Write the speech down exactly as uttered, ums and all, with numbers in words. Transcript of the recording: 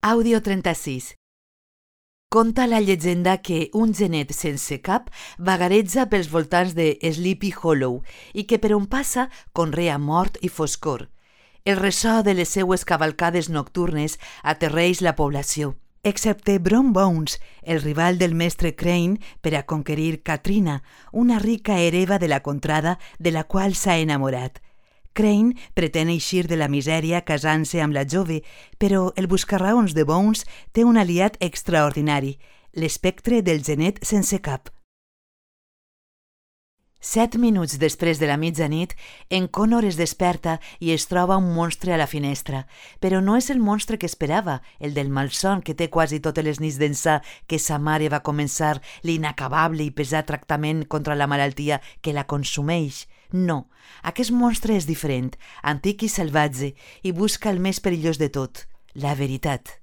Àudio trenta-sis. Conta la llegenda que un genet sense cap vagareja pels voltants de Sleepy Hollow i que per on passa conrea mort i foscor. El ressò de les seues cavalcades nocturnes aterreix la població, excepte Brom Bones, el rival del mestre Crane per a conquerir Katrina, una rica hereva de la contrada de la qual s'ha enamorat. Crane pretén eixir de la misèria casant-se amb la jove, però el buscarraons de Bones té un aliat extraordinari, l'espectre del genet sense cap. Set minuts després de la mitjanit, en Connor es desperta i es troba un monstre a la finestra, però no és el monstre que esperava, el del malson que té quasi totes les nits d'ençà que sa mare va començar l'inacabable i pesat tractament contra la malaltia que la consumeix. No, aquest monstre és diferent, antic i salvatge, i busca el més perillós de tot, la veritat.